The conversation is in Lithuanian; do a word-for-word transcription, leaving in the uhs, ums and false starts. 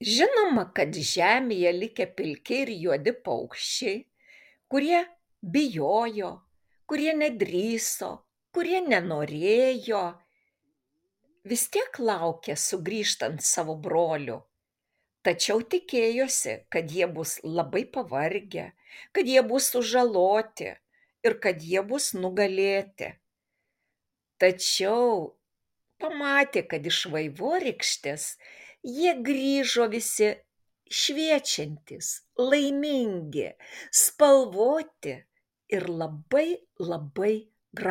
Žinoma, kad žemėje likę pilki ir juodi paukščiai, kurie bijojo, kurie nedrįso, kurie nenorėjo, vis tiek laukė sugrįžtant savo brolių. Tačiau tikėjosi, kad jie bus labai pavargę, kad jie bus sužaloti ir kad jie bus nugalėti. Tačiau pamatė, kad iš vaivorykštės jie grįžo visi šviečiantys, laimingi, spalvoti ir labai labai